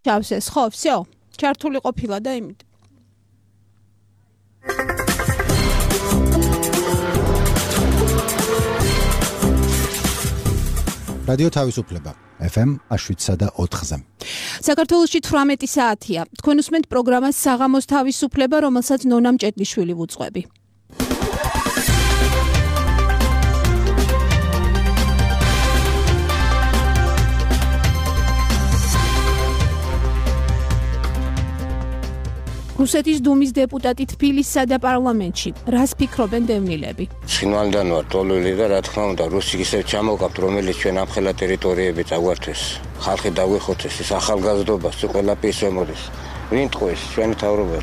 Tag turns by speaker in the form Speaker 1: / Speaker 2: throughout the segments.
Speaker 1: ჩავსეს, ხო, всё. ჩართული ყოფილა და იმით.
Speaker 2: რადიო თავისუფლება FM 107.4-ზე.
Speaker 1: საქართველოში 18 საათია. თქვენ უსმენთ პროგრამას საღამოს თავისუფლება, რომელსაც ნონა მჭედლიშვილი ვუძღვები. რუსეთის დუმის დეპუტატი თბილისსა და პარლამენტში. რას ფიქრობენ დევნილები?
Speaker 3: ცხინვალიდან ვარ ტოლული და რა თქმა უნდა რუსი ისევ ჩამოვკავთ, რომელიც ჩვენ ამხელა ტერიტორიები წაგვართვეს. ხალხი დაგვეხოცეს, ეს ახალგაზრდობას ყველა პისემოდის. ვინ ტყუეს ჩვენი თავრობა?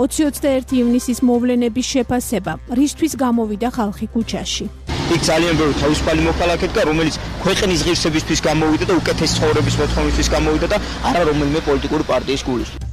Speaker 1: 21 ივნისის მოვლენების შეფასება. რისთვის გამოვიდა ხალხი ქუჩაში?
Speaker 4: იქ ძალიან ბევრი თავისუფალი მოქალაქე დგა, რომელიც ქვეყნის ღირსებისთვის გამოვიდა და უკეთეს ცხოვრების მოთხოვნისთვის გამოვიდა და არა რომელიმე პოლიტიკური პარტიის გულისთვის.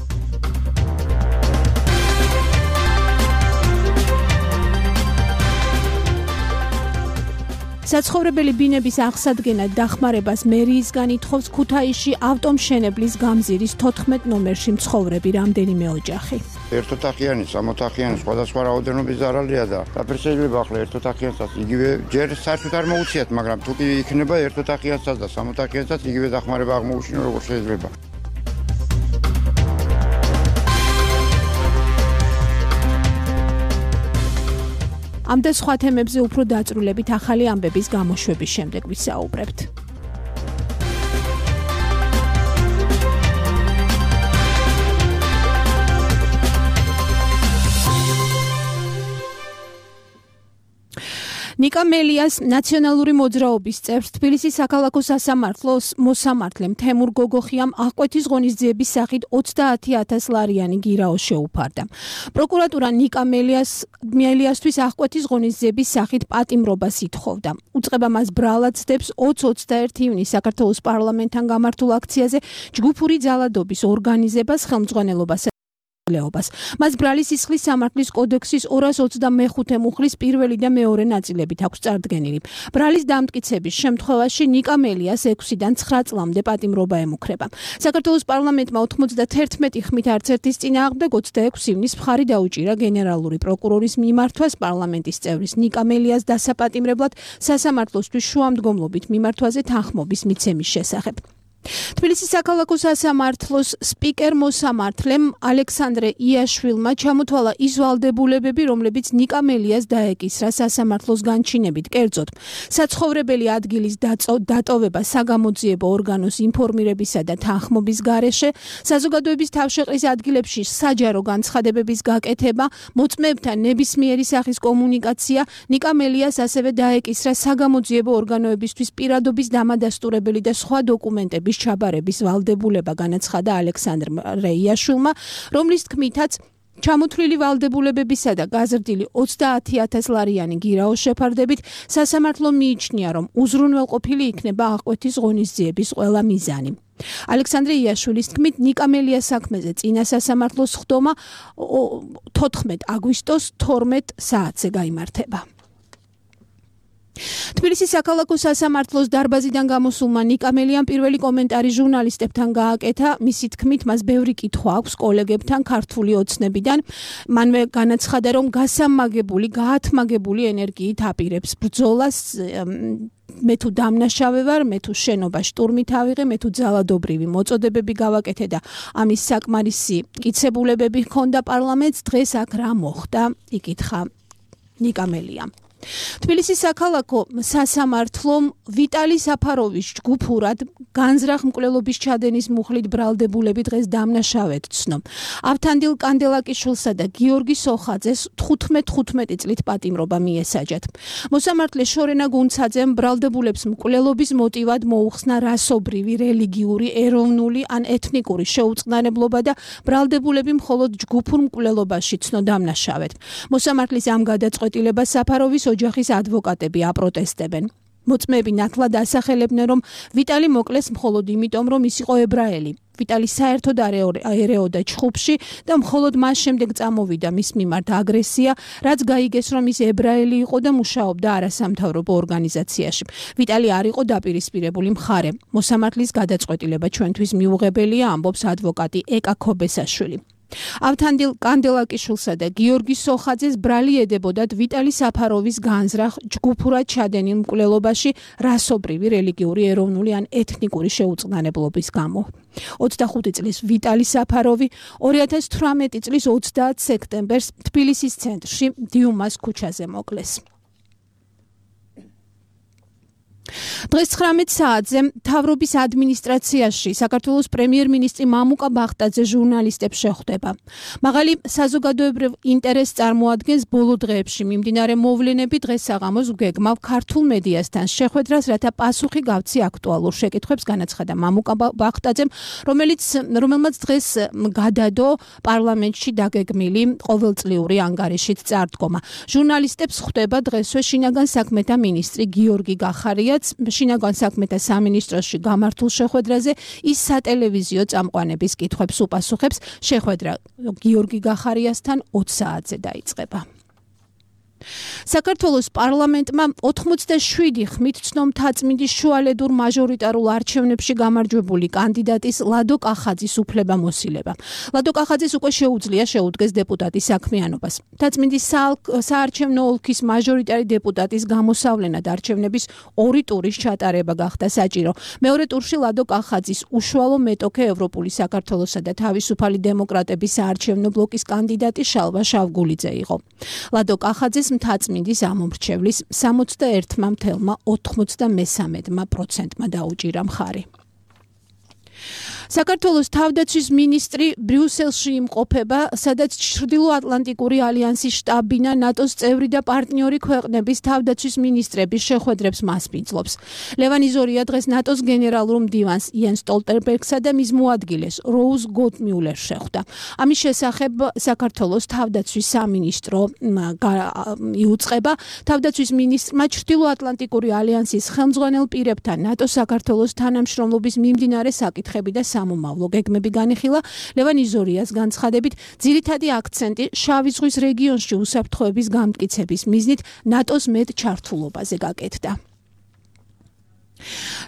Speaker 1: საცხოვრებელი ბინების აღსადგენად დახმარებას მერიისგან ითხოვს ქუთაისში ავტომშენებლის გამზირის 14 ნომერში მცხოვრები რამდენიმე ოჯახი.
Speaker 5: ერთოთახიანი, სამოთახიანი, სხვადასხვა რაოდენობის ზარალია და შეიძლება ახლა ერთოთახიანსაც იგივე ჯერ საერთოდ არ მოუციათ, მაგრამ თუ კი იქნება ერთოთახიანსაც და სამოთახიანსაც იგივე დახმარება აღმოუჩინო როგორ შეიძლება.
Speaker 1: ამ და სხვა თემებზე უფრო დაწვრილებით ახალი ამბების გამოშვების შემდეგ ვისაუბრებთ. ნიკა მელიას ნაციონალური მოძრაობის წევრს თბილისის საქალაქო სასამართლოს მოსამართლემ თემურ გოგოხიამ აღკვეთის ღონისძიების სახით 30,000 ლარიანი გირაო შეუფარდა. პროკურატურა ნიკა მელიასთვის აღკვეთის ღონისძიების სახით პატიმრობას ითხოვდა. უწყება მას ბრალად ცდებს 20-21 ივნისს საქართველოს პარლამენტთან გამართულ აქციაზე ჯგუფური ძალადობის ორგანიზებას, ხელმძღვანელობას. მას ბრალის სისხლის სამართლის კოდექსის 225 მუხლის პირველი და მეორე ნაწილებით აქვს წარდგენილი. ბრალის დამტკიცების შემთხვევაში ნიკა მელიას 6-დან 9 წლამდე პატიმრობა ემუქრება. საქართველოს პარლამენტმა 91 ხმით არც ერთის წინააღმდეგ 26 ივნისს მხარი დაუჭირა გენერალური პროკურორის მიმართვას პარლამენტის წევრის ნიკა მელიას დასაპატიმრებლად სასამართლოსთვის შუამდგომლობით მიმართვაზე თანხმობის მიცემის შესახებ. თბილისის საქალაქო სასამართლოს სპიკერ მოსამართლემ ალექსანდრე იაშვილმა ჩამოთვალა ის ვალდებულებები, რომლებიც ნიკა მელიას დაეკისრა სასამართლოს განჩინებით, კერძოდ საცხოვრებელი ადგილის დატოვება საგამოძიებო ორგანოს ინფორმირებისა და თანხმობის გარეშე, საზოგადოების თავშეყრის ადგილებში საჯარო განცხადებების გაკეთება, მოწმეებთან ნებისმიერი სახის კომუნიკაცია. ნიკა მელიას ასევე დაეკისრა საგამოძიებო ორგანოებისთვის პირადობის დამადასტურებელი და სხვა დოკუმენტები ჩაბარების ვალდებულება, განაცხადა ალექსანდრე იაშვილმა, რომლის თქმითაც ჩამოთვლილი ვალდებულებებისა და გაზრდილი 30,000 ლარიანი გირაოს შეფარდებით სასამართლო მიიჩნია, რომ უზრუნველყოფილი იქნება აღკვეთის ღონისძიების ყველა მიზანი. ალექსანდრე იაშვილის თქმით, ნიკა მელიას საქმეზე წინა სასამართლოს ხდომა 14 აგვისტოს 12 საათზე გაიმართება. თბილისის საქალაქო სასამართლოს დარბაზიდან გამოსულმა ნიკა მელიამ პირველი კომენტარი ჟურნალისტებთან გააკეთა. მისი თქმით, მას ბევრი კითხვა აქვს კოლეგებთან ქართული ოცნებიდან. მანვე განაცხადა, რომ გაათმაგებული ენერგიით აპირებს ბრძოლას. მე თუ დამნაშავე ვარ, მე თუ შენობა შტურმით ავიღე, მე თუ ძალადობრივი მოწოდებები გავაკეთე და ამის საკმარისი მტკიცებულებები ჰქონდა პარლამენტს, დღეს აქ რა მოხდა? იკითხა ნიკა მელიამ. თბილისის საქალაქო სასამართლომ ვიტალი საფაროვის ჯგუფურად განზრახ მკვლელობის ჩადენის მუხლით ბრალდებულები დღეს დამნაშავედ ცნო. ავთანდილ კანდელაკიშვილსა და გიორგი სოხაძეს 15 წლით პატიმრობა მიესაჯათ. მოსამართლე შორენა გუნცაძემ ბრალდებულებს მკვლელობის მოტივად მოუხსნა რასობრივი, რელიგიური, ეროვნული ან ეთნიკური შეუწყნარებლობა და ბრალდებულები მხოლოდ ჯგუფურ მკვლელობაში ცნო დამნაშავედ. მოსამართლის ამ გადაწყვეტილებას საფაროვის ოჯახის ადვოკატები აპროტესტებენ. მოწმეები ნათლად ასახელებდნენ, რომ ვიტალი მოკლეს მხოლოდ იმიტომ, რომ ის იყო ებრაელი. ვიტალი საერთოდ ერეოდა ჩხუბში და მხოლოდ მას შემდეგ წამოვიდა მის მიმართ აგრესია, რაც გაიგეს, რომ ის ებრაელი იყო და მუშაობდა არასამთავრობო ორგანიზაციაში. ვიტალი არ იყო დაპირისპირებული მხარე. მოსამართლის გადაწყვეტილება ჩვენთვის მიუღებელია, ამბობს ადვოკატი ეკა ქობესაშვილი. ავთანდილ კანდელაკიშვილსა და გიორგი სოხაძეს ბრალი ედებოდათ ვიტალი საფაროვის განზრახ ჯგუფურად ჩადენილ მკვლელობაში რასობრივი, რელიგიური, ეროვნული ან ეთნიკური შეუწყნარებლობის გამო. 25 წლის ვიტალი საფაროვი 2018 წლის 30 სექტემბერს თბილისის ცენტრში დიუმას ქუჩაზე მოკლეს. დღეს 19 საათზე მთავრობის ადმინისტრაციაში საქართველოს პრემიერ-მინისტრი მამუკა ბახტაძე ჟურნალისტებს შეხვდება. მაღალი საზოგადოებრივ ინტერესს წარმოადგენს ბოლო დღეებში მიმდინარე მოვლენები. დღეს საღამოს ვგეგმავ ქართულ მედიასთან შეხვედრას, რათა პასუხი გავცი აქტუალურ შეკითხვებს, განაცხადა მამუკა ბახტაძემ, რომელმაც დღეს გადადო პარლამენტში დაგეგმილი ყოველწლიური ანგარიშით წარდგომა. ჟურნალისტებს ხვდება დღესვე შინაგან საქმეთა მინისტრი გიორგი გახარია. შინაგან საქმეთა სამინისტროში გამართულ შეხვედრაზე ის სატელევიზიო წამყვანების კითხვებს უპასუხებს. შეხვედრა გიორგი გახარიასთან 20 საათზე დაიწყება. საქართველოს პარლამენტმა 87 ხმით ცნო-მთაწმინდის შუალედურ მაჟორიტარულ არჩევნებში გამარჯვებული კანდიდატის ლადო კახაძის უფლებამოსილება. ლადო კახაძის უკვე შეუძლია შეუდგეს დეპუტატის საქმიანობას. მთაწმინდის საარჩევნო ოლქის მაჟორიტარი დეპუტატის გამოსავლენად არჩევნების 2 ტურის ჩატარება გახდა საჭირო. მეორე ტურში ლადო კახაძის უშუალო მეტოქე ევროპული საქართველოსა და თავისუფალი დემოკრატების საარჩევნო ბლოკის კანდიდატი შალვა შავგულიძე იყო. ლადო კახაძის მთაწმინდის ამომრჩევლის 61,93% დაუჭირა მხარი. საქართველოს თავდაცვის მინისტრი ბრიუსელში იმყოფება, სადაც ჩრდილოატლანტიკური ალიანსის შტაბ-ბინა ნატოს წევრი და პარტნიორი ქვეყნების თავდაცვის მინისტრების შეხვედრებს მასპინძლობს. ლევან იზორია დღეს ნატოს გენერალურ მდივანს იენს სტოლტენბერგსა და მის მოადგილეს როუზ გოტმიულერს შეხვდა. ამის შესახებ საქართველოს თავდაცვის სამინისტრო იუწყება. თავდაცვის მინისტრმა ჩრდილოატლანტიკური ალიანსის ხელმძღვანელ პირებთან ნატოს საქართველოს თანამშრომლობის მიმდინარე საკითხები და სამომავლო გეგმები განიხილა. ლევან იზორიას განცხადებით, ძირითადი აქცენტი შავი ზღვის რეგიონში უსაფრთხოების გამტკიცების მიზნით ნატოს მეტ ჩართულობაზე გაკეთდა.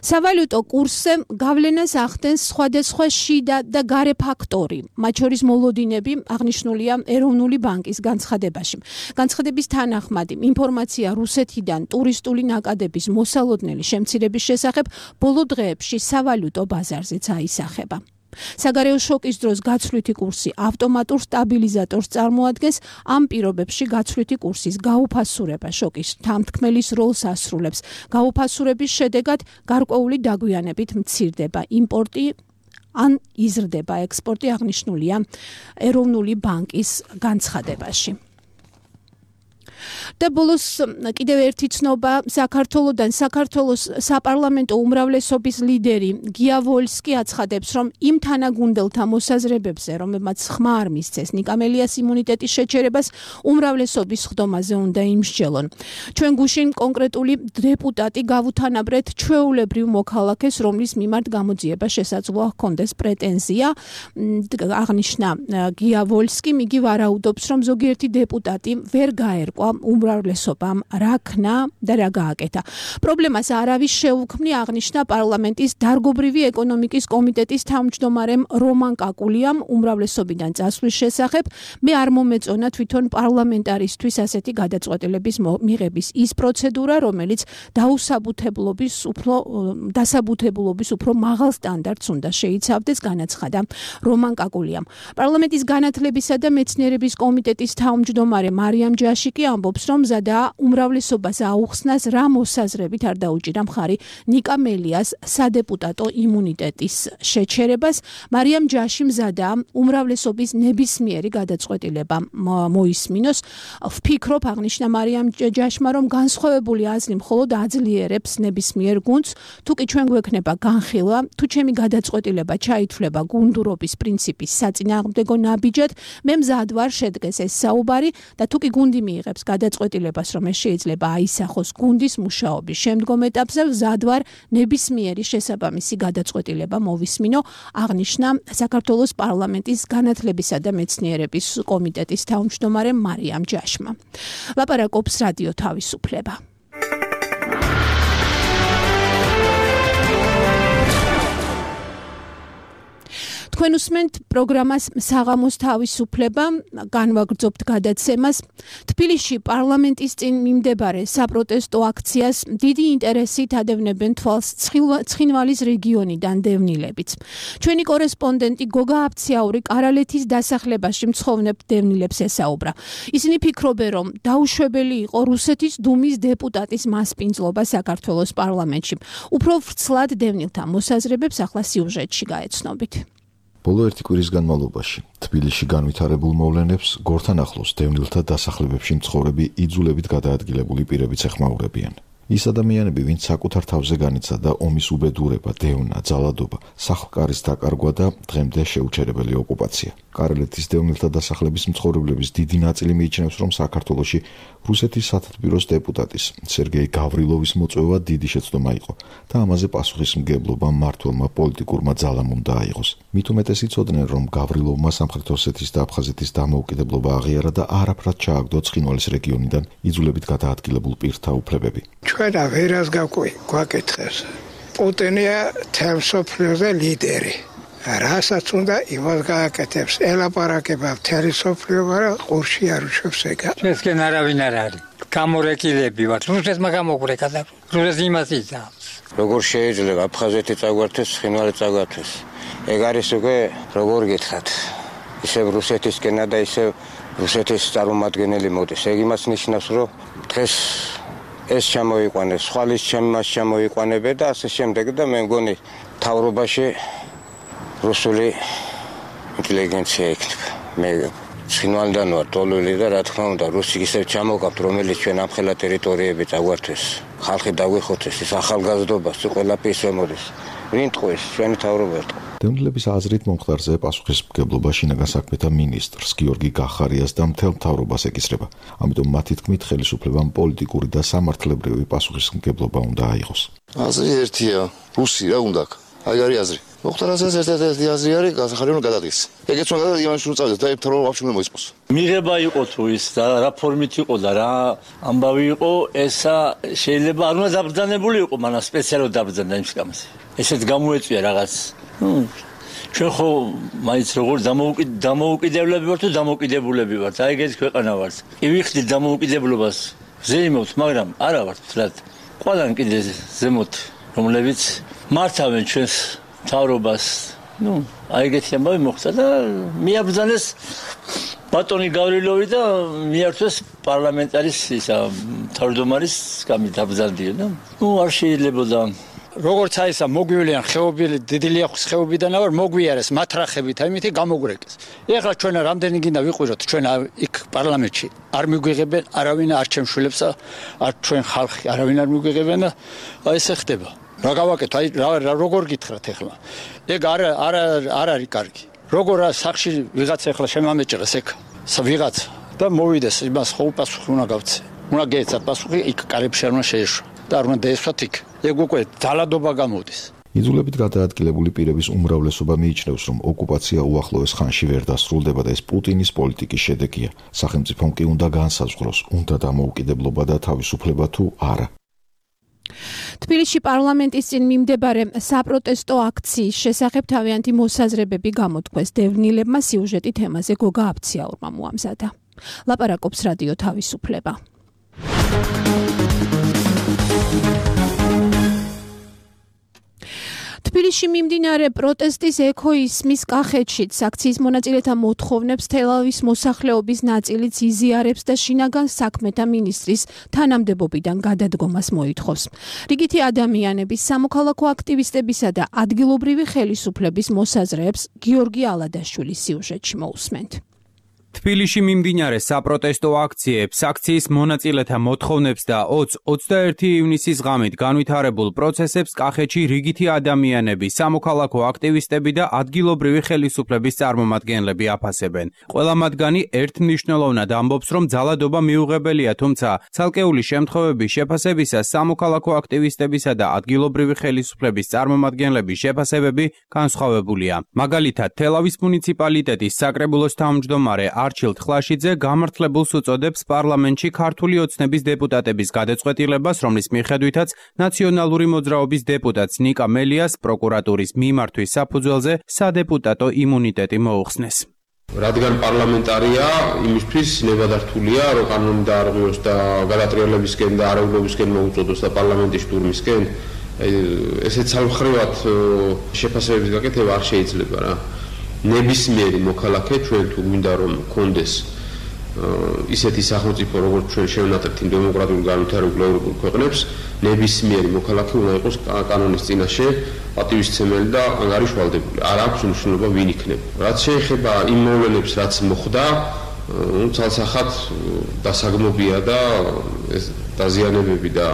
Speaker 1: სავალუტო კურსზე გავლენას ახდენს სხვადასხვა შიდა და გარე ფაქტორი, მათ შორის მოლოდინები, აღნიშნულია ეროვნული ბანკის განცხადებაში. განცხადების თანახმად, ინფორმაცია რუსეთიდან ტურისტული ნაკადების მოსალოდნელი შემცირების შესახებ ბოლო დღეებში სავალუტო ბაზარზეც აისახება. საგარეო შოკის დროს გაცვლითი კურსი ავტომატურ სტაბილიზატორს წარმოადგენს. ამ პირობებში გაცვლითი კურსის გაუფასურება შოკის თანთქმელის როლს ასრულებს. გაუფასურების შედეგად გარკვეული დაგვიანებით მცირდება იმპორტი ან იზრდება ექსპორტი, აღნიშნულია ეროვნული ბანკის განცხადებაში. და ბოლოს კიდევ ერთი ცნობა საქართველოდან. საქართველოს საპარლამენტო უმრავლესობის ლიდერი გია ვოლსკი აცხადებს, რომ იმ თანაგუნდელთა მოსაზრებებზე, რომლებმაც ხმა არ მისცეს ნიკამელიას იმუნიტეტის შეჩერებას, უმრავლესობის ხდომაზე უნდა იმსჯელონ. ჩვენ გუშინ კონკრეტული დეპუტატი გავუთანაბრეთ ჩვეულებრივ მოქალაქეს, რომლის მიმართ გამოძიება შესაძლოა ჰქონდეს პრეტენზია, აღნიშნა გია ვოლსკიმ. იგი ვარაუდობს, რომ ზოგიერთი დეპუტატი ვერ გაერკვა უმრავლესობამ რა ქნა და რა გააკეთა. პრობლემას არავის შეუქმნი, აღნიშნა პარლამენტის დარგობრივი ეკონომიკის კომიტეტის თავმჯდომარემ რომან კაკულიამ უმრავლესობიდან წასვლის შესახებ. მე არ მომეწონა თვითონ პარლამენტარისთვის ასეთი გადაწყვეტილების მიღების ის პროცედურა, რომელიც დასაბუთებულობის უფრო მაღალ სტანდარტს უნდა შეიცავდეს, განაცხადა რომან კაკულიამ. პარლამენტის განათლებისა და მეცნიერების კომიტეტის თავმჯდომარე მარიამ ჯაშიკი ამბობს, რომ მზადაა უმრავლესობას აუხსნას რა მოსაზრებით არ დაუჭირა მხარი ნიკა მელიას სადეპუტატო იმუნიტეტის შეჩერებას. მარიამ ჯაში მზადაა უმრავლესობის ნებისმიერი გადაწყვეტილება მოისმინოს. ვფიქრობ, აღნიშნა მარიამ ჯაშმა, რომ განსხვავებული აზრი მხოლოდ აძლიერებს ნებისმიერ გუნდს. თუ კი ჩვენ გვექნება განხილვა, თუ ჩემი გადაწყვეტილება ჩაითვლება გუნდურობის პრინციპის საწინააღმდეგო ნაბიჯად, მე მზად ვარ შედგეს ეს საუბარი და თუ კი გუნდი მიიღებს გადაწყვეტილებას გადაწყვეტილებას, რომ ეს შეიძლება აისახოს გუნდის მუშაობის შემდგომ ეტაპზე, მზად ვარ ნებისმიერი შესაბამისი გადაწყვეტილება მოვისმინო, აღნიშნა საქართველოს პარლამენტის განათლებისა და მეცნიერების კომიტეტის თავმჯდომარე მარიამ ჯაშმა. ლაპარაკობს რადიო თავისუფლება. თქვენ უსმენთ პროგრამას საღამოს თავისუფლება, განვაგრძობთ გადაცემას. თბილისში პარლამენტის წინ მიმდებარე საპროტესტო აქციას დიდი ინტერესით ადევნებენ თვალს ცხინვალის რეგიონიდან დევნილებიც. ჩვენი კორესპონდენტი გოგა აფციაური კარალეთის დასახლებაში მცხოვრებ დევნილებს ესაუბრა. ისინი ფიქრობენ, რომ დაუშვებელი იყო რუსეთის დუმის დეპუტატის მასპინძლობა საქართველოს პარლამენტში. უფრო ვრცლად დევნილთა მოსაზრებებს ახლა სიუჟეტში გაეცნობით.
Speaker 6: ბოლო ერთი კვირის განმავლობაში თბილისში განვითარებულ მოვლენებს გორთან ახლოს დევნილთა დასახლებებში მცხოვრები იძულებით გადაადგილებული პირებიც ეხმაურებიან. ის ადამიანები, ვინც საკუთარ თავზე განიცადა ომის უბედურება, დევნა, ძალადობა, სახლ-კარის დაკარგვა და დღემდე შეუჩერებელი ოკუპაცია. კარალეთის დევნილთა დასახლების მცხოვრებლების დიდი ნაწილი მიიჩნევს, რომ საქართველოში რუსეთის სათათბიროს დეპუტატის სერგეი გავრილოვის მოწვევა დიდი შეცდომა იყო და ამაზე პასუხისმგებლობა მმართველმა პოლიტიკურმა ძალამ უნდა აიღოს. მით უმეტეს იცოდნენ, რომ გავრილოვმა სამხრეთ ოსეთის და აფხაზეთის დამოუკიდებლობა აღიარა და არაფრად ჩააგდო ცხინვალის რეგიონიდან იძულებით გადაადგილებულ პირთა უფლებები.
Speaker 7: ჩვენ ვერას გვაკითხეს. პუტინია თემსოფლიოზე ლიდერი. რასაც უნდა იმას გააკეთებს. ელაპარაკება მთელი სოფლიო და ყურში არ უშვებს ეგა.
Speaker 8: ჩვენსკენ არავინ არ არის. გამორეკილები ვართ. რუსეთმა გამოგვრეკა და რუსეთი იმას იცავს.
Speaker 3: როგორ შეიძლება აფხაზეთი წაგვართეს, ცხინვალი წაგვართეს. ეგ არის უკვე როგორ გითხრათ. ისევ რუსეთისკენა და ისევ რუსეთის წარმომადგენელი მოდის. ეგ იმას ნიშნავს, რომ დღეს ეს ჩამოიყვანეს, ხვალის ჩამას ჩამოიყვანებენ და ასე შემდეგ და მე მგონი თავრობაში რუსული ინტელიგენცია იქნება. მე ცხინვალიდან ვარ ტოლული და რა თქმა უნდა რუსი ისევ ჩამოვყავთ, რომელიც ჩვენ ამ ხელა ტერიტორიები წაგვართეს. ხალხი დაგვიხოცეს, ის ახალგაზრდობას ყველაფერს ემოდის. ვინ ტყუეს ჩვენი თავრობა ერტყო.
Speaker 6: დევნილების აზრით მომხდარზე პასუხისმგებლობა შინაგან საქმეთა მინისტრს გიორგი გახარიას და მთელ მთავრობას ეკისრება. ამიტომ მათი თქმით ხელისუფლებამ პოლიტიკური და სამართლებრივი პასუხისმგებლობა უნდა აიღოს.
Speaker 9: აზრი ერთია, რუსი რა უნდა აქ. აი არის აზრი. მოხდარაზე ერთ-ერთი აზრი არის გახარიამ გადადგეს. ეგეც უნდა იმაში რომ წავიდეს და ერთად ვაფშე უნდა მოისპოს.
Speaker 10: მიღება იყო თუ ის და რა ფორმით იყო და რა ამბავი იყო, ესა შეიძლება არ უნდა დაბრძანებული იყო, მაგრამ სპეციალურად დაბრძანდა იმის გამოსი. ესეც გამოეწვია რაღაც. ჩვენ ხო მაინც როგორ დამოუკიდებლები ვართ თუ დამოუკიდებულები ვართ. აი ეგეთი ქვეყანა ვართ. კი ვიხდით დამოუკიდებლობას ზეიმოთ, მაგრამ არა ვართ ვთქვათ. ყველან კიდე ზემოთ, რომლებიც მართავენ ჩვენს მთავრობას. აი ეგეთი ამბავი მოხდა და მიაბრძანეს ბატონი გავრილოვი და მიართვეს პარლამენტარის ისა თავმჯდომარის გამით დაბრძანდია და არ შეიძლებოდა
Speaker 8: როგორც აი ესა მოგვივლიან ხეობილი დიდილია ხეობიდან ავარ მოგვიარეს მათრახებით აი მითი გამოგვრეკეს. ეხლა ჩვენ რამდენი გინდა ვიყვიროთ ჩვენ იქ პარლამენტში არ მიგვიღებენ არავინ არ ჩემშვილებს არ ჩვენ ხალხი არავინ არ მიგვიღებენ და აი ესე ხდება. რა გავაკეთო აი როგორ გითხრათ ეხლა. ეგ არ არის კარგი. როგორ სახში ვიღაც ეხლა შემამეჭრეს ეგ ვიღაც და მოვიდეს იმას ხო პასუხი უნდა გავცე. უნდა გეცა პასუხი იქ კარებში არ უნდა შეეშვა. და არ უნდა დაესვათ იქ. ეგ უკვე ძალადობა გამოდის.
Speaker 6: იძულებით გადაადგილებული პირების უმრავლესობა მიიჩნევს, რომ ოკუპაცია უახლოეს ხანში ვერ დასრულდება და ეს პუტინის პოლიტიკის შედეგია. სახელმწიფომ კი უნდა განსაზღვროს, უნდა დამოუკიდებლობა და თავისუფლება თუ არა.
Speaker 1: თბილისში პარლამენტის წინ მიმდებარე საპროტესტო აქციის შესახებ თავიანთი მოსაზრებები გამოთქვეს დევნილებმა. სიუჟეტი თემაზე გოგა აფციაურმა მოამზადა. ლაპარაკობს რადიო თავისუფლება. თბილისში მიმდინარე პროტესტის ექოისმის კახეთშიც აქციის მონაწილეთა მოთხოვნებს თელავის მოსახლეობის ნაწილიც იზიარებს და შინაგან საქმეთა მინისტრის თანამდებობიდან გადადგომას მოითხოვს. რიგითი ადამიანების, სამოქალაქო აქტივისტებისა და ადგილობრივი ხელისუფლების მოსაზრეებს გიორგი ალადაშვილის სიუჟეტში მოусმენთ.
Speaker 11: თბილისში მიმდინარე საპროტესტო აქციებს, აქციის მონაწილეთა მოთხოვნებს და 20-21 ივნისის ღამით განვითარებულ პროცესებს კახეთში რიგითი ადამიანები, სამოქალაქო აქტივისტები და ადგილობრივი ხელისუფლების წარმომადგენლები აფასებენ. ყველა მათგანი ერთმნიშვნელოვნად ამბობს, რომ ძალადობა მიუღებელია, თუმცა ცალკეული შემთხვევების შეფასებისას სამოქალაქო აქტივისტებისა და ადგილობრივი ხელისუფლების წარმომადგენლების შეფასებები განსხვავებულია. მაგალითად, თელავის მუნიციპალიტეტის საკრებულოს თავმჯდომარე არჩილ თხლაშიძე გამართლებულს უწოდებს პარლამენტში ქართული ოცნების დეპუტატების გადაწყვეტილებას, რომლის მიხედვითაც ნაციონალური მოძრაობის დეპუტატს ნიკა მელიას პროკურატურის მიმართვის საფუძველზე სადეპუტატო იმუნიტეტი მოუხსნეს.
Speaker 12: რადგან პარლამენტარია, იმისთვის ნებადართულია, რომ კანონი დაარღვიოს და გადატრიალებისკენ და არეულობისკენ მოუწოდოს და პარლამენტის შტურმისკენ, ესეც სამხრივად შეფასებების გაკეთება არ შეიძლება რა. ნებისმიერი მოქალაქე ჩვენ თუ გვინდა რომ კონდეს ისეთი სახელმწიფო როგორც ჩვენ შევნატრებთ იმ დემოკრატიულ განვითარებულ ევროპულ ქვეყნებს, ნებისმიერი მოქალაქე უნდა იყოს კანონის წინაშე პატივისცემელი და ანგარიშვალდებული. არ აქვს მნიშვნელობა ვინ იქნება. რაც შეეხება იმ მოვლენებს, რაც მოხდა, ცალსახად დასაგმობია და ეს დაზიანებები და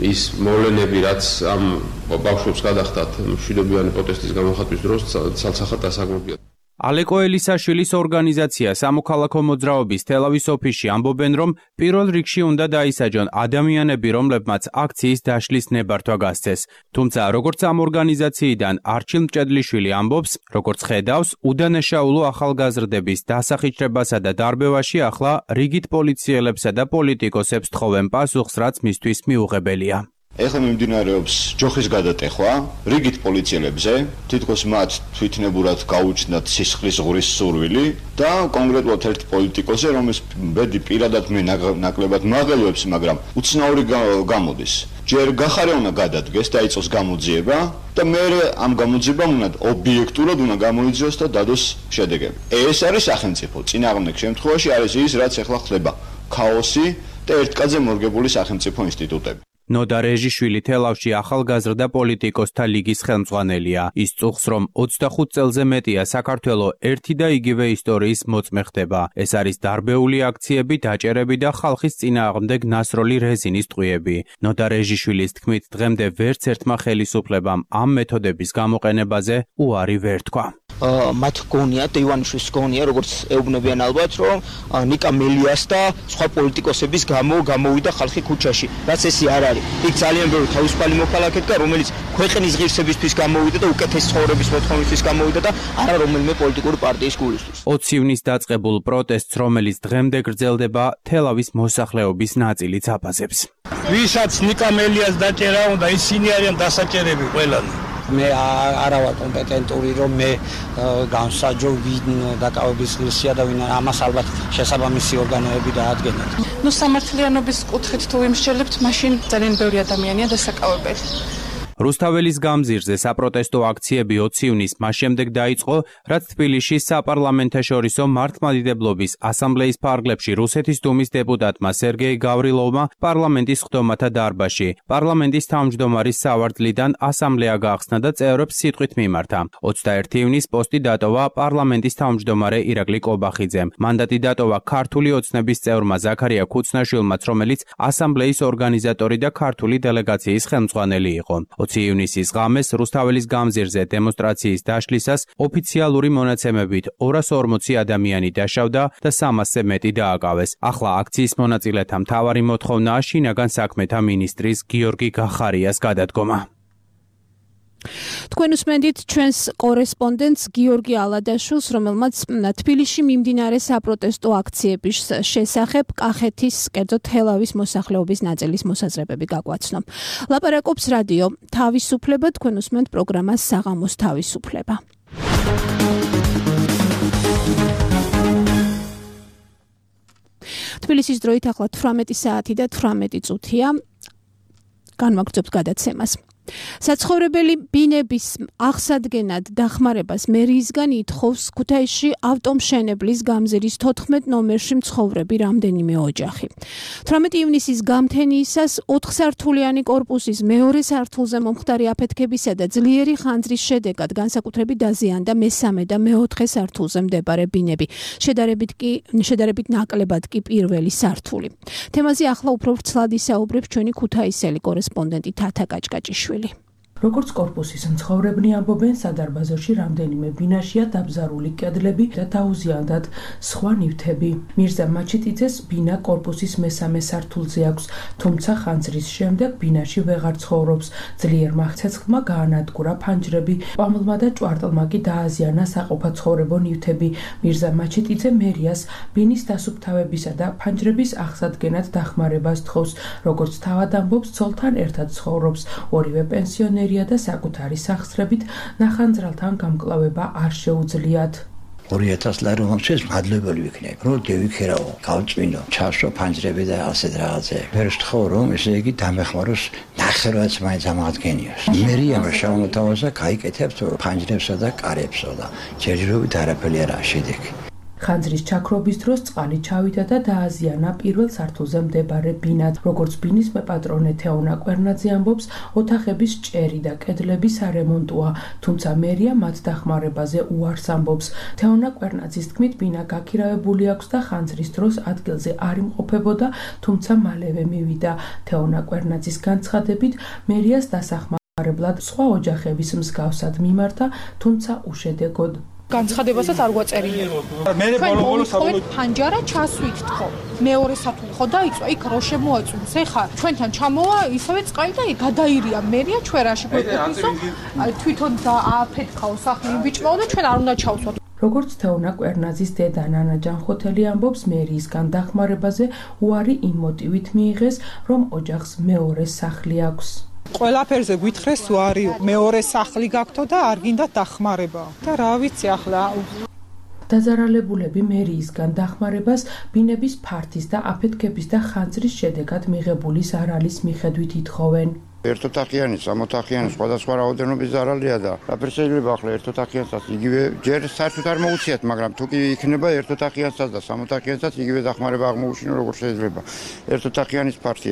Speaker 12: ის მოვლენები, რაც ამ ბავშვებს გადახდათ მშვიდობიანი პროტესტის გამოხატვის დროს, ცალსახად დასაგმობია.
Speaker 11: ალეკო ელისაშვილის ორგანიზაცია სამოქალაქო მოძრაობის თელავის ოფისში ამბობენ, რომ პირველ რიგში უნდა დაისაჯონ ადამიანები, რომლებმაც აქციის დაშლის ნებართვა გასცეს. თუმცა, როგორც ამ ორგანიზაციიდან არჩილ მჭედლიშვილი ამბობს, როგორც ხედავს, უდანაშაულო ახალგაზრდების დასახიჩრებასა და დარბევაში ახლა რიგით პოლიციელებსა და პოლიტიკოსებს თხოვენ პასუხს, რაც მისთვის მიუღებელია.
Speaker 13: ეხლა მიმდინარეობს ჯოხის გადატეხვა რიგით პოლიციელებზე, თითქოს მათ თვითნებურად გაუჩნდათ სისხლის ღურის სურვილი და კონკრეტულად ერთ პოლიტიკოსზე, რომელიც ბედი პირადად მე ნაკლებად მაღელვებს, მაგრამ უცნაური გამოდის. ჯერ გახარე უნდა გადადგეს და იწოს გამოძიება და მე ამ გამოძიებამ უნდა ობიექტურად უნდა გამოიძიოს და დადოს შედეგები. ეს არის სახელმწიფო. წინააღმდეგ შემთხვევაში არის ის, რაც ეხლა ხდება. ქაოსი და ერთკაცზე მორგებული სახელმწიფო ინსტიტუტები.
Speaker 11: ნოდა რეჟიშვილი თელავში ახალგაზრდა პოლიტიკოსთა ლიგის ხელმძღვანელია. ის წუხს, რომ 25 წელზე მეტია საქართველო ერთი და იგივე ისტორიის მოწმე ხდება. ეს არის დარბეული აქციები, დაჭერები და ხალხის წინააღმდეგ ნასროლი რეზინის ტყვიები. ნოდა რეჟიშვილის თქმით, დღემდე ვერც ერთმა ხელისუფლებამ ამ მეთოდების გამოყენებაზე უარი ვერ თქვა.
Speaker 4: მათ გონია და ივანიშვილის გონია, როგორც ეუბნებიან ალბათ, რომ ნიკა მელიას და სხვა პოლიტიკოსების გამო გამოვიდა ხალხი ქუჩაში. რაც ესე არ არის. იქ ძალიან ბევრი თავისუფალი მოქალაქე დგა, რომელიც ქვეყნის ღირსებისთვის გამოვიდა და უკეთეს ცხოვრების მოთხოვნისთვის გამოვიდა და არა რომელიმე პოლიტიკური პარტიის გულისთვის.
Speaker 11: 20 ივნისს დაწყებულ პროტესტს, რომელიც დღემდე გრძელდება, თელავის მოსახლეობის ნაწილიც აფასებს.
Speaker 14: ვისაც ნიკა მელიას დაჭერა უნდა, ისინი არიან დასაჭერები ყველანი.
Speaker 15: მე არა ვარ კომპეტენტური, რომ მე განსაჯო ვინ დაკავების ღირსია და ვინ ამას ალბათ შესაბამისი ორგანოები დაადგენათ.
Speaker 16: სამართლიანობის კუთხით თუ ვიმსჯელებთ, მაშინ ძალიან ბევრი ადამიანია დასაკავებელი.
Speaker 11: რუსთაველის გამზირზე საპროტესტო აქციები 20 ივნისს მას შემდეგ დაიწყო, რაც თბილისში საპარლამენტაშორისო მართლმადიდებლობის ასამბლეის ფარგლებში რუსეთის დუმის დეპუტატმა სერგეი გავრილოვმა პარლამენტის ხდომათა დარბაზში პარლამენტის თავმჯდომარის სავარდლიდან ასამბლეა გაახსნა და წევრებს სიტყვით მიმართა. 21 ივნისს პოსტი დატოვა პარლამენტის თავმჯდომარე ირაკლი კობახიძემ. მანდატი დატოვა ქართული ოცნების წევრმა ზაქარია ქუცნაშვილმაც, რომელიც ასამბლეის ორგანიზატორი და ქართული დელეგაციის ხელმძღვანელი იყო. 20 ივნისის ღამეს რუსთაველის გამზირზე დემონსტრაციის დაშლისას ოფიციალური მონაცემებით 240 ადამიანი დაშავდა და 300-ზე მეტი დააკავეს. ახლა აქციის მონაწილეთა მთავარი მოთხოვნაა შინაგან საქმეთა მინისტრის გიორგი გახარიას გადადგომა.
Speaker 1: თქვენ უსმენთ ჩვენს კორესპონდენტს გიორგი ალადაშვილს, რომელმაც თბილისში მიმდინარე საპროტესტო აქციების შესახებ კახეთის, კერძოდ თელავის მოსახლეობის ნაწილის მოსაზრებები გაგვაცნო. ლაპარაკობს რადიო თავისუფლება, თქვენ უსმენთ პროგრამას საღამოს თავისუფლება. თბილისის დროით ახლა 18 საათი და 18 წუთია. განვაგრძობთ გადაცემას. საცხოვრებელი ბინების აღსადგენად დახმარებას მერიისგან ითხოვს ქუთაისში ავტომშენებლის გამზირის 14 ნომერში მცხოვრები რამდენიმე ოჯახი. 18 ივნისის გამთენიისას 4 სართულიანი კორპუსის მეორე სართულზე მომხდარი აფეთქებისა და ძლიერი ხანძრის შედეგად განსაკუთრებით დაზიანდა მესამე და მეოთხე სართულზე მდებარე ბინები. შედარებით ნაკლებად კი პირველი სართული. თემაზე ახლა უფრო ვრცლად ისაუბრებს ჩვენი ქუთაისელი კორესპონდენტი თათა კაჭკაჭიშვილი.
Speaker 17: როგორც კორპუსის მცხოვრებნი ამბობენ, სადარბაზოში რამდენიმე ბინაშია დაბზარული კედლები და დაუზიანდათ სხვა ნივთები. მირზა მაჩიტიძეს ბინა კორპუსის მესამე სართულზე აქვს, თუმცა ხანძრის შემდეგ ბინაში ვეღარ ცხოვრობს. ძლიერმა ცეცხლმა გაანადგურა ფანჯრები, ყვამლმა და ჭვარტლმა კი დააზიანა საყოფაცხოვრებო ნივთები. მირზა მაჩიტიძე მერიას ბინის დასუფთავებისა და ფანჯრების აღსადგენად დახმარებას თხოვს. როგორც თავად ამბობს, ცოლთან ერთად ცხოვრობს, ორივე პენსიონერი და საკუთარი სახსრებით ნახანძრალთან გამკლავება არ შეუძლიათ.
Speaker 18: 2000 ლარი მომწეს მადლობელი ვიქნებ, რომ დევიქერაო, გავწვინო, ჩასო ფანჯრები და ასეთ რაღაცე. ვერ ვთხოვ, რომ ესე იგი დამეხმაროს ნახევრადაც მაინც ამადგენიოს. მერიამ შავმოთავაზა გაიკეთებს ფანჯრებსა და კარებსო და ჯერჯერობით არაფერი არაა შედეგი.
Speaker 17: ხანძრის ჩაქრობის დროს წყალი ჩავიდა და დააზიანა პირველ სართულზე მდებარე ბინა. როგორც ბინის მეპატრონე თეონა კვერნაძე ამბობს, ოთახების ჭერი და კედლების არემონტოა, თუმცა მერია მათ დახმარებაზე უარს ამბობს. თეონა კვერნაძის თქმით, ბინა გაქირავებული აქვს და ხანძრის დროს ადგილზე არ იმყოფებოდა, თუმცა მალევე მივიდა. თეონა კვერნაძის განცხადებით, მერიას დასახმარებლად სხვა ოჯახების მსგავსად მიმართა, თუმცა უშედეგოდ.
Speaker 16: განცხადებასაც არ გვაწერია. მე ბოლო საბოლოოდ ფანჯარა ჩასვით თქო. მეორე სართული ხო დაიწვა, იქ რო შემოაწუნს. ეხა ჩვენთან ჩამოვა ისევე წყალი და გადაირია მერია ჩვენ რაში გვეკვეთისო. თვითონ დააფეთქაო სახლი ბიჭმაო და ჩვენ არ უნდა ჩავსვათ.
Speaker 17: როგორც თეონა კვერნაძის დედა ნანა ჯანხოთელი ამბობს, მერიისგან დახმარებაზე უარი იმ მოტივით მიიღეს, რომ ოჯახს მეორე სახლი აქვს.
Speaker 19: ყველაფერზე გვითხრეს უარი, მეორე სახლი გაქვთო და არ გინდა დახმარება. და რა ვიცი ახლა.
Speaker 17: დაზარალებულები მერიისგან დახმარებას ბინების ფართის და აფეთქების და ხანძრის შედეგად მიღებული ზარალის მიხედვით ითხოვენ.
Speaker 5: ერთოთახიანი, სამოთახიანი, სხვადასხვა რაოდენობის ზარალია და რაფერ შეიძლება ახლა ერთოთახიანსაც იგივე ჯერ საერთოდ არ მოუციათ, მაგრამ თუ კი იქნება ერთოთახიანსაც და სამოთახიანსაც იგივე დახმარება აღმოუჩინო როგორ შეიძლება. ერთოთახიანის ფართი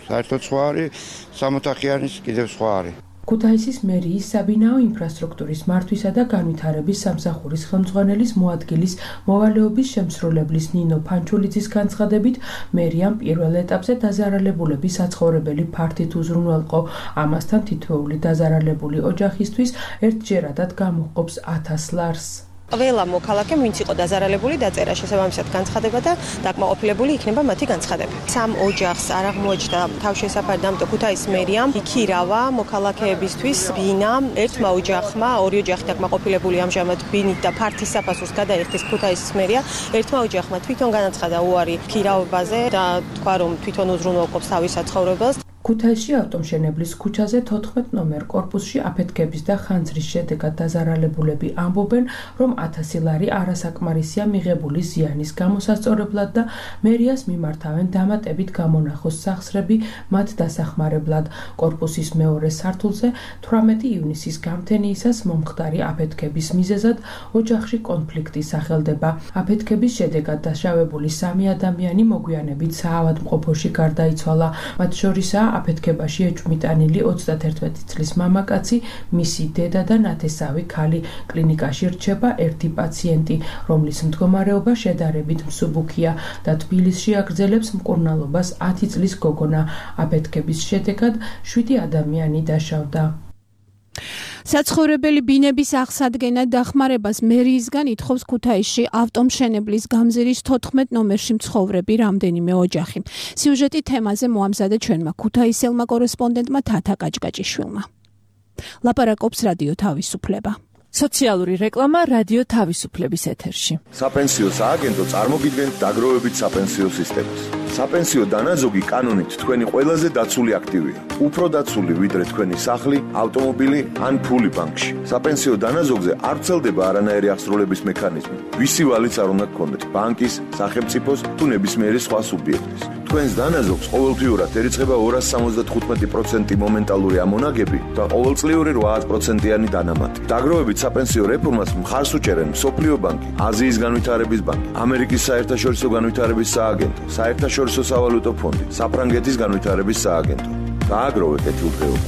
Speaker 5: საერთოდ სხვა არის, სამოთახიანის კიდევ სხვა არის.
Speaker 17: ქუთაისის მერიის საბინაო ინფრასტრუქტურის მართვისა და განვითარების სამსახურის ხელმძღვანელის მოადგილის მოვალეობის შემსრულებლის ნინო ფანჩულიძის განცხადებით, მერიამ პირველ ეტაპზე დაზარალებულების საცხოვრებელი ფართით უზრუნველყო. ამასთან თითოეული დაზარალებული ოჯახისთვის ერთჯერადად გამოჰყოფს 1000 ლარს.
Speaker 20: ყველა მოქალაქემ, ვინც იყო დაზარალებული, დაწერა შესაბამისად განცხადება და დაკმაყოფილებული იქნება მათი განცხადება. სამ ოჯახს არ აღმოაჩნდა თავშესაფარი, ამიტომ ქუთაისის მერიამ იქირავა მოქალაქეებისთვის ბინა. ერთმა ოჯახმა, ორი ოჯახი დაკმაყოფილებული ამჟამად ბინით და ფართის საფასურს გადაიხდის ქუთაისის მერია. ერთმა ოჯახმა თვითონ განაცხადა უარი ქირავაზე და თქვა, რომ თვითონ უზრუნველყოფს თავის საცხოვრებელს.
Speaker 17: ქუთაისში ავტომშენებლის ქუჩაზე 14 ნომერ კორპუსში აფეთქების და ხანძრის შედეგად დაზარალებულები ამბობენ, რომ 1000 ლარი არასაკმარისია მიღებული ზიანის გამოსასწორებლად და მერიას მიმართავენ დამატებით გამონახოს სახსრები მათ დასახმარებლად. კორპუსის მეორე სართულზე 18 ივნისის გამთენიისას მომხდარი აფეთქების მიზეზად ოჯახში კონფლიქტი სახელდება. აფეთქების შედეგად დაშავებული 3 ადამიანი მოგვიანებით საავადმყოფოში გარდაიცვალა. მათ შორისაა აფეთქებაში ეჭვმიტანილი 31 წლის მამაკაცი, მისი დედა და ნათესავი ქალი. კლინიკაში რჩება ერთი პაციენტი, რომლის მდგომარეობა შედარებით მსუბუქია და თბილისში აგრძელებს მკურნალობას 10 წლის გოგონა. აფეთქების შედეგად 7 ადამიანი დაშავდა.
Speaker 1: საცხოვრებელი ბინების აღსადგენად დახმარებას მერიისგან ითხოვს ქუთაისში ავტომშენებლის გამზირის 14 ნომერში მცხოვრები რამდენიმე ოჯახი. სიუჟეტი თემაზე მოამზადა ჩვენმა ქუთაისელმა კორესპონდენტმა თათა კაჭკაჭიშვილმა. ლაპარაკობს რადიო თავისუფლება.
Speaker 21: სოციალური რეკლამა რადიო თავისუფლების ეთერში.
Speaker 22: საპენსიო სააგენტო წარმოგიდგენთ დაგროვებით საპენსიო სისტემას. საპენსიო დანაზოგი კანონით თქვენი ყველაზე დაცული აქტივია. უფრო დაცული ვიდრე თქვენი სახლი, ავტომობილი ან ფული ბანკში. საპენსიო დანაზოგზე არ ვრცელდება არანაირი აღსრულების მექანიზმი. ვისი ვალიც არ უნდა გქონდეთ ბანკის, სახელმწიფოს თუ ნებისმიერი სხვა სუბიექტის. თქვენს დანაზოგს ყოველთვიურად ერიცხება 275% მომენტალური ამონაგები და ყოველწლიური 8%-იანი დანამატი. დაგროვებით საპენსიო რეფორმას მხარს უჭერენ მსოფლიო ბანკი, აზიის განვითარების ბანკი, ამერიკის საერთაშორისო განვითარების სააგენტო, საერთაშორისო სავალუტო ფონდი, საფრანგეთის განვითარების სააგენტო. დააგროვე კეთილდღეობა.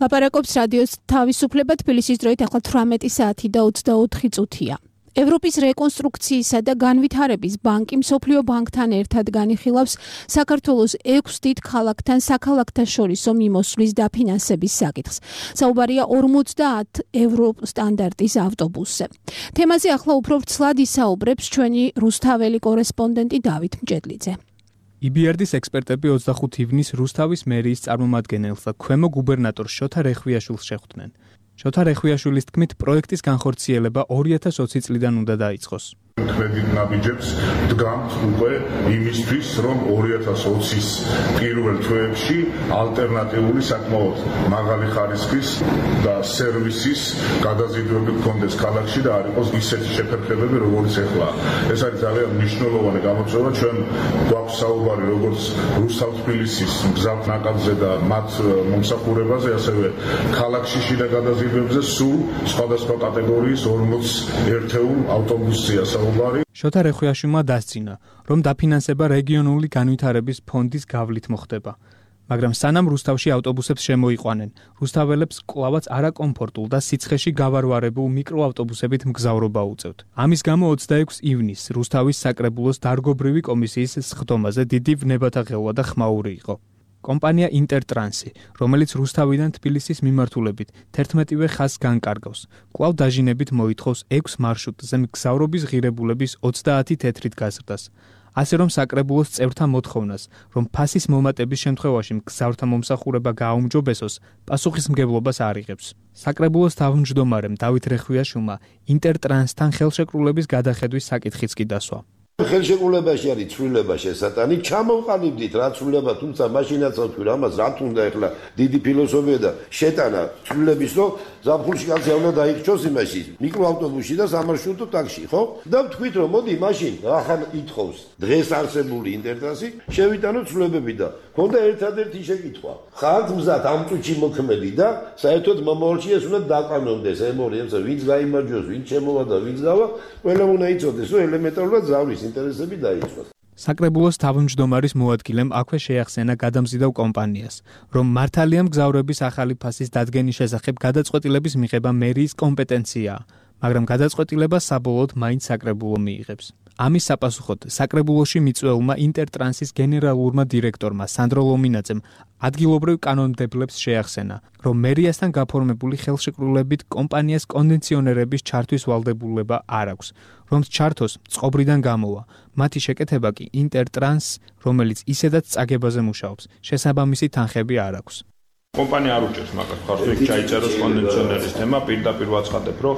Speaker 1: ლაპარაკობს რადიოს თავისუფლება თბილისის დროით ახლა 18 საათი და 24 წუთია. ევროპის რეკონსტრუქციისა და განვითარების ბანკი მსოფლიო ბანკთან ერთად განიხილავს საქართველოს 6 დიდ ქალაქთან საქალაქთა შორისო მიმოსვლის დაფინანსების საკითხს. საუბარია 50 ევრო სტანდარტის ავტობუსზე. თემაზე ახლა უფრო ვრცლად ისაუბრებს ჩვენი რუსთაველი კორესპონდენტი დავით მჭედლიძე.
Speaker 2: EBRD-ის ექსპერტები 25 ივნის რუსთავის მერიის წარმომადგენელს და ქვემო გუბერნატორს შოთა რეხვიაშვილს შეხვდნენ. შოთა რეხვიაშვილის თქმით, პროექტის განხორციელება 2020 წლიდან უნდა დაიწყოს.
Speaker 7: კრედიტ ნაბიჯებს დგამთ უკვე იმისთვის, რომ 2020-ის პირველ თვეებში ალტერნატიული საკმაოდ მაღალი ხარისხის და სერვისის გადაზიდვები გქონდეს ქალაქში და არ იყოს ისეთი შეფერხებები, როგორც ეხლა. ეს არის ძალიან მნიშვნელოვანი გამოწვევა. ჩვენ გვაქვს საუბარი როგორც რუსთავ-თბილისის მგზავრ ნაკადზე და მათ მომსახურებაზე, ასევე ქალაქში შიდა გადაზიდვებზე სულ სხვადასხვა კატეგორიის 40 ერთეულ ავტობუსზეა საუბარი.
Speaker 2: შოთა რეხვიაშვილმა დასძინა, რომ დაფინანსება რეგიონული განვითარების ფონდის გავლით მოხდება. მაგრამ სანამ რუსთავში ავტობუსებს შემოიყვანენ, რუსთაველებს კვლავაც არაკომფორტულ და სიცხეში გავარვარებულ მიკროავტობუსებით მგზავრობა უწევთ. ამის გამო 26 ივნისს რუსთავის საკრებულოს დარგობრივი კომისიის სხდომაზე დიდი ვნებათა ღელვა და ხმაური იყო. კომპანია ინტერტრანსი, რომელიც რუსთავიდან თბილისის მიმართულებით 11-ვე ხაზს განკარგავს, კვლავ დაჟინებით მოითხოვს 6 მარშრუტზე მგზავრობის ღირებულების 30 თეთრით გაზრდას. ასე რომ საკრებულოს წევრთა მოთხოვნას, რომ ფასის მომატების შემთხვევაში მგზავრთა მომსახურება გააუმჯობესოს, პასუხისმგებლობას არ იღებს. საკრებულოს თავმჯდომარემ დავით რეხვიაშვილმა ინტერტრანსთან ხელშეკრულების გადახედვის საკითხიც კი დასვა.
Speaker 23: ხელშეკრულებაში არის ცვლილება შესატანი, ჩამოვყალიბდით რა ცვლილება, თუმცა მაშინაც ვთქვი, ამას რა თუნდა ახლა დიდი ფილოსოფია და შეტანა ცვლილების, რომ ზაფხულში კაცი უნდა დაიქჩოს იმაში, მიკროავტობუსში და სამარშრუტო ტაქსში, ხო? და ვთქვით, რომ მოდი მაშინ ახლა ითხოვს დღეს არსებული ინტერტრანსი, შევიტანოთ ცვლილებები და ქონდა ერთადერთი შეკითხვა. ხართ მზად ამ წუთში მოქმედი და საერთოდ მომავალში ეს უნდა დაყანონდეს ემორიებს, ვინც გაიმარჯვოს, ვინც შემოვა და ვინც გავა, ყველა უნდა იცოდეს, რომ ელემენტარულად ზავრის ინტერესები დაიწყოს.
Speaker 2: საკრებულოს თავმჯდომარის მოადგილემ აქვე შეახსენა გადამზიდავ კომპანიას, რომ მართალია მგზავრების ახალი ფასის დადგენის შესახებ გადაწყვეტილების მიღება მერიის კომპეტენციაა, მაგრამ გადაწყვეტილება საბოლოოდ მაინც საკრებულო მიიღებს. ამის საპასუხოდ საკრებულოში მიწვეულმა ინტერტრანსის გენერალურმა დირექტორმა სანდრო ლომინაძემ ადგილობრივ კანონმდებლებს შეახსენა, რომ მერიასთან გაფორმებული ხელშეკრულებით კომპანიას კონდიციონერების ჩართვის ვალდებულება არ აქვს, რომ ჩართოს წყობრიდან გამოვა. მათი შეკეთება კი ინტერტრანს, რომელიც ისედაც წაგებაზე მუშაობს, შესაბამისი თანხები არ აქვს.
Speaker 7: კომპანია არ უჭერს მაგას ხარს, იქ ჩაიწეროს კონდიციონერის თემა, პირდაპირ ვაცხადებ, რომ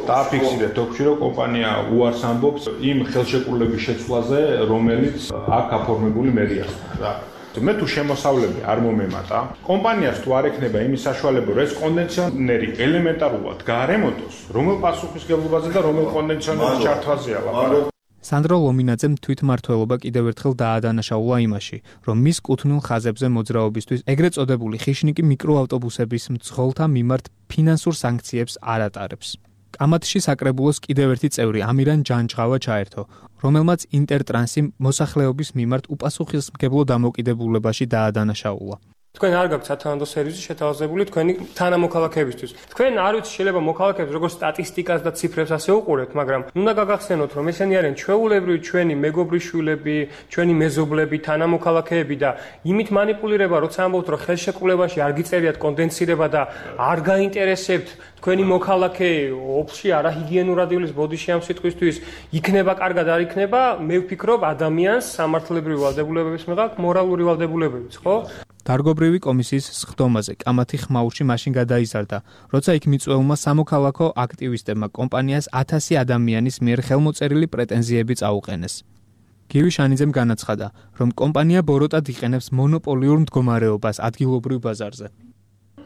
Speaker 7: დააფიქსირეთ თქში, რომ კომპანია უარს ამბობს იმ ხელშეკრულების შეცვლაზე, რომელიც აქ აფორმებული მერიასთან. მე თუ შემოსავლები არ მომემატა, კომპანიას თუ არ ექნება იმის საშუალება, რომ ეს კონდიციონერი ელემენტარულად გაარემონტოს, რომელ პასუხისმგებლობაზე და რომელ კონდიციონერის ჩართვაზეა ლაპარაკი.
Speaker 2: სანდრო ლომინაძემ თვითმმართველობა კიდევ ერთხელ დაადანაშაულა იმაში, რომ მის კუთვნილ ხაზებზე მოძრაობისთვის ეგრეთ წოდებული ხიშნიკი მიკროავტობუსების მძღოლთა მიმართ ფინანსურ სანქციებს არ ატარებს. კამათში საკრებულოს კიდევ ერთი წევრი ამირან ჯანჯღავა ჩაერთო, რომელმაც ინტერტრანსი მოსახლეობის მიმართ უპასუხისმგებლო დამოკიდებულებაში დაადანაშაულა.
Speaker 24: თქვენ არ გაქვთ სათანადო სერვისი შეთავაზებული თქვენი თანამოქალაქეებისთვის. თქვენ არ ვიცი შეიძლება მოქალაქეებს როგორც სტატისტიკას და ციფრებს ასე უყურებთ, მაგრამ უნდა გაგახსენოთ, რომ ესენი არიან ჩვეულებრივი ჩვენი მეგობრიშვილები, ჩვენი მეზობლები, თანამოქალაქეები და იმით манипуლირება, როცა ამბობთ, რომ ხელშეკრულებაში არ გიწერიათ კონდენსირება და არ გაინტერესებთ თქვენი მოქალაქე ოფში არაჰიგიენურადილის ბოდიში ამ სიტყვისთვის იქნება კარგად არ იქნება, მე ვფიქრობ ადამიანს სამართლებრივი ვალდებულებების მიღება მორალური ვალდებულებებიც, ხო?
Speaker 2: დარგობრივი კომისიის სხდომაზე კამათი ხმაურში მაშინ გადაიზარდა, როცა იქ მიწვეულმა სამოქალაქო აქტივისტებმა კომპანიას 1000 ადამიანის მიერ ხელმოწერილი პრეტენზიები წაუყენეს. გივი შანიძემ განაცხადა, რომ კომპანია ბოროტად იყენებს მონოპოლიურ მდგომარეობას ადგილობრივ ბაზარზე.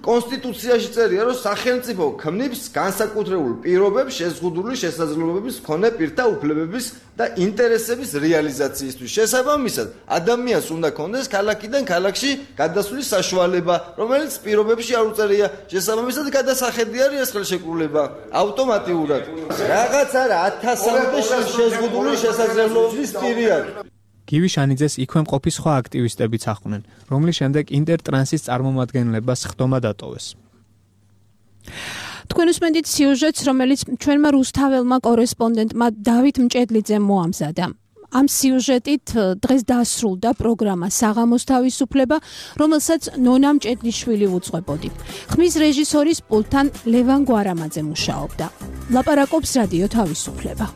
Speaker 3: კონსტიტუციაში წერია, რომ სახელმწიფო ქმნობს განსაკუთრებულ პირობებს შეზღუდული შესაძლებლობების მქონე პირთა უფლებების და ინტერესების რეალიზაციისთვის. შესაბამისად, ადამიანს უნდა ქონდეს ქალაქიდან ქალაქში გადასვლის საშუალება, რომელიც პირობებში არ უწერია. შესაბამისად, გადასახედი არის ეს ხელშეკრულება ავტომატურად. რაღაც არა 1000-მდე შეზღუდული შესაძლებლობების პირი არის.
Speaker 2: გივი შანიძეს იქვე მყოფი სხვა აქტივისტებიც ახლდნენ, რომლის შემდეგ ინტერტრანსის წარმომადგენლებას ხდომა დატოვეს.
Speaker 1: თქვენ უსმენთ სიუჟეტს, რომელიც ჩვენმა რუსთაველმა კორესპონდენტმა დავით მჭედლიძემ მოამზადა. ამ სიუჟეტით დღეს დასრულდა პროგრამა საღამოს თავისუფლება, რომელსაც ნონა მჭედლიშვილი უძღვებოდი. ხმის რეჟისორის პულტთან ლევან გვარამაძე მუშაობდა. ლაპარაკობს რადიო თავისუფლება.